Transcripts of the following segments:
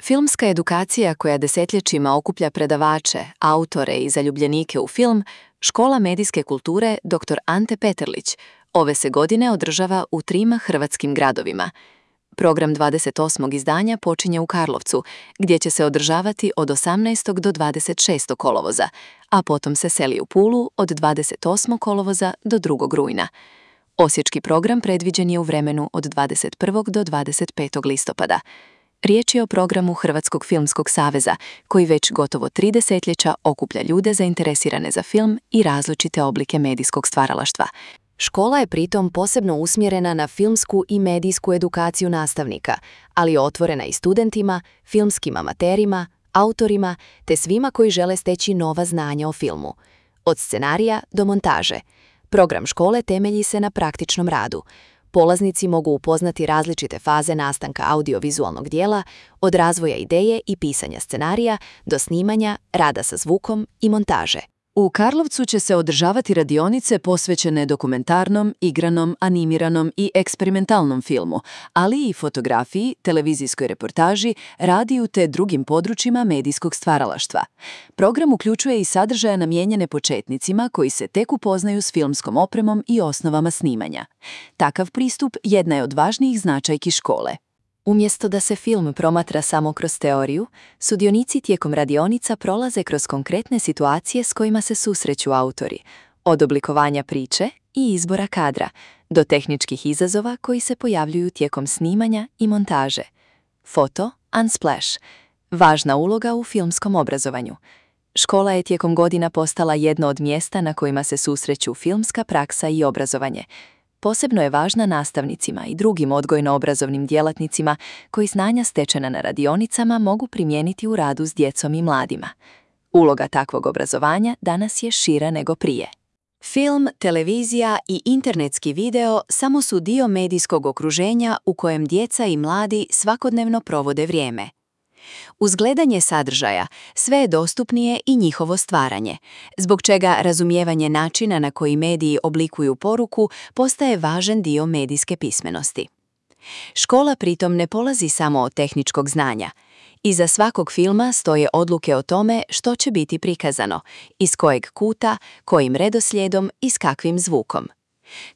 Filmska edukacija koja desetljećima okuplja predavače, autore i zaljubljenike u film, Škola medijske kulture dr. Ante Peterlić ove se godine održava u 3 hrvatskim gradovima. Program 28. izdanja počinje u Karlovcu, gdje će se održavati od 18. do 26. kolovoza, a potom se seli u Pulu od 28. kolovoza do 2. rujna. Osječki program predviđen je u vremenu od 21. do 25. listopada. Riječ je o programu Hrvatskog filmskog saveza, koji već gotovo 3 desetljeća okuplja ljude zainteresirane za film i različite oblike medijskog stvaralaštva. Škola je pritom posebno usmjerena na filmsku i medijsku edukaciju nastavnika, ali je otvorena i studentima, filmskim amaterima, autorima te svima koji žele steći nova znanja o filmu. Od scenarija do montaže. Program škole temelji se na praktičnom radu. Polaznici mogu upoznati različite faze nastanka audiovizualnog dijela, od razvoja ideje i pisanja scenarija do snimanja, rada sa zvukom i montaže. U Karlovcu će se održavati radionice posvećene dokumentarnom, igranom, animiranom i eksperimentalnom filmu, ali i fotografiji, televizijskoj reportaži, radiju te drugim područjima medijskog stvaralaštva. Program uključuje i sadržaje namijenjene početnicima koji se tek upoznaju s filmskom opremom i osnovama snimanja. Takav pristup jedna je od važnijih značajki škole. Umjesto da se film promatra samo kroz teoriju, sudionici tijekom radionica prolaze kroz konkretne situacije s kojima se susreću autori, od oblikovanja priče i izbora kadra, do tehničkih izazova koji se pojavljuju tijekom snimanja i montaže. Foto Unsplash. Važna uloga u filmskom obrazovanju. Škola je tijekom godina postala jedno od mjesta na kojima se susreću filmska praksa i obrazovanje. Posebno je važna nastavnicima i drugim odgojno-obrazovnim djelatnicima koji znanja stečena na radionicama mogu primijeniti u radu s djecom i mladima. Uloga takvog obrazovanja danas je šira nego prije. Film, televizija i internetski video samo su dio medijskog okruženja u kojem djeca i mladi svakodnevno provode vrijeme. Uz gledanje sadržaja sve je dostupnije i njihovo stvaranje, zbog čega razumijevanje načina na koji mediji oblikuju poruku postaje važan dio medijske pismenosti. Škola pritom ne polazi samo od tehničkog znanja. Iza svakog filma stoje odluke o tome što će biti prikazano, iz kojeg kuta, kojim redoslijedom i s kakvim zvukom.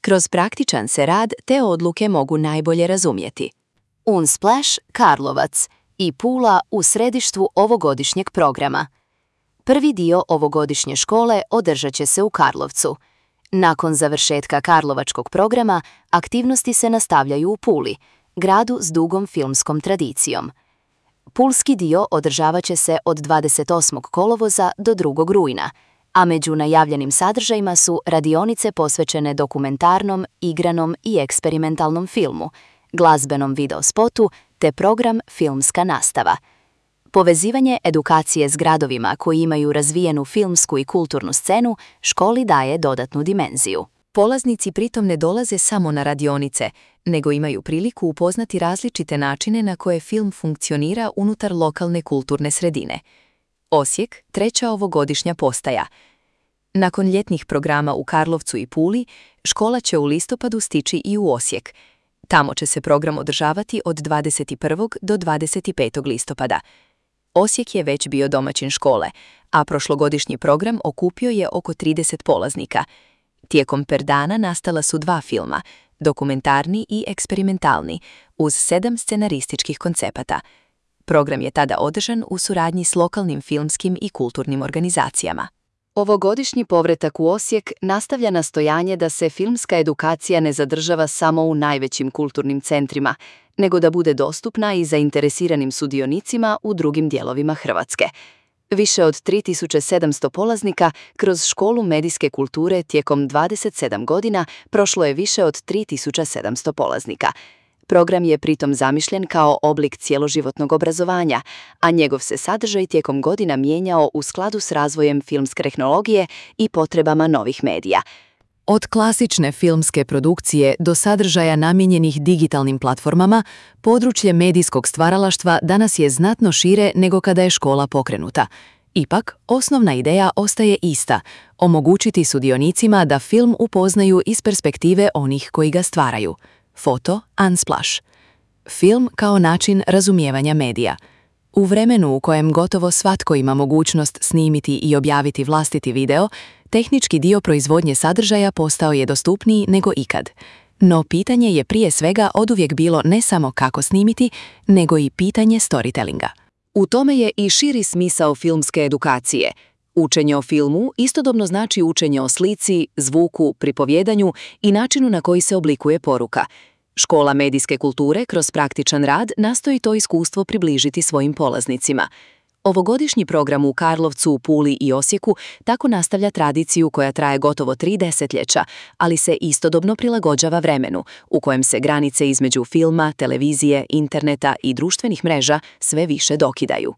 Kroz praktičan se rad te odluke mogu najbolje razumjeti. Unsplash, Karlovac i Pula u središtu ovogodišnjeg programa. Prvi dio ovogodišnje škole održat će se u Karlovcu. Nakon završetka karlovačkog programa, aktivnosti se nastavljaju u Puli, gradu s dugom filmskom tradicijom. Pulski dio održavat će se od 28. kolovoza do 2. rujna, a među najavljenim sadržajima su radionice posvećene dokumentarnom, igranom i eksperimentalnom filmu, glazbenom videospotu te program Filmska nastava. Povezivanje edukacije s gradovima koji imaju razvijenu filmsku i kulturnu scenu školi daje dodatnu dimenziju. Polaznici pritom ne dolaze samo na radionice, nego imaju priliku upoznati različite načine na koje film funkcionira unutar lokalne kulturne sredine. Osijek, 3. ovogodišnja postaja. Nakon ljetnih programa u Karlovcu i Puli, škola će u listopadu stići i u Osijek. Tamo će se program održavati od 21. do 25. listopada. Osijek je već bio domaćin škole, a prošlogodišnji program okupio je oko 30 polaznika. Tijekom perdana nastala su 2 filma, dokumentarni i eksperimentalni, uz 7 scenarističkih koncepata. Program je tada održan u suradnji s lokalnim filmskim i kulturnim organizacijama. Ovogodišnji povratak u Osijek nastavlja nastojanje da se filmska edukacija ne zadržava samo u najvećim kulturnim centrima, nego da bude dostupna i zainteresiranim sudionicima u drugim dijelovima Hrvatske. Više od 3700 polaznika kroz školu medijske kulture tijekom 27 godina prošlo je više od 3700 polaznika. Program je pritom zamišljen kao oblik cjeloživotnog obrazovanja, a njegov se sadržaj tijekom godina mijenjao u skladu s razvojem filmske tehnologije i potrebama novih medija. Od klasične filmske produkcije do sadržaja namijenjenih digitalnim platformama, područje medijskog stvaralaštva danas je znatno šire nego kada je škola pokrenuta. Ipak, osnovna ideja ostaje ista – omogućiti sudionicima da film upoznaju iz perspektive onih koji ga stvaraju. Foto Unsplash. Film kao način razumijevanja medija. U vremenu u kojem gotovo svatko ima mogućnost snimiti i objaviti vlastiti video, tehnički dio proizvodnje sadržaja postao je dostupniji nego ikad. No pitanje je prije svega oduvijek bilo ne samo kako snimiti, nego i pitanje storytellinga. U tome je i širi smisao filmske edukacije. Učenje o filmu istodobno znači učenje o slici, zvuku, pripovjedanju i načinu na koji se oblikuje poruka. Škola medijske kulture kroz praktičan rad nastoji to iskustvo približiti svojim polaznicima. Ovogodišnji program u Karlovcu, Puli i Osijeku tako nastavlja tradiciju koja traje gotovo 3 desetljeća, ali se istodobno prilagođava vremenu, u kojem se granice između filma, televizije, interneta i društvenih mreža sve više dokidaju.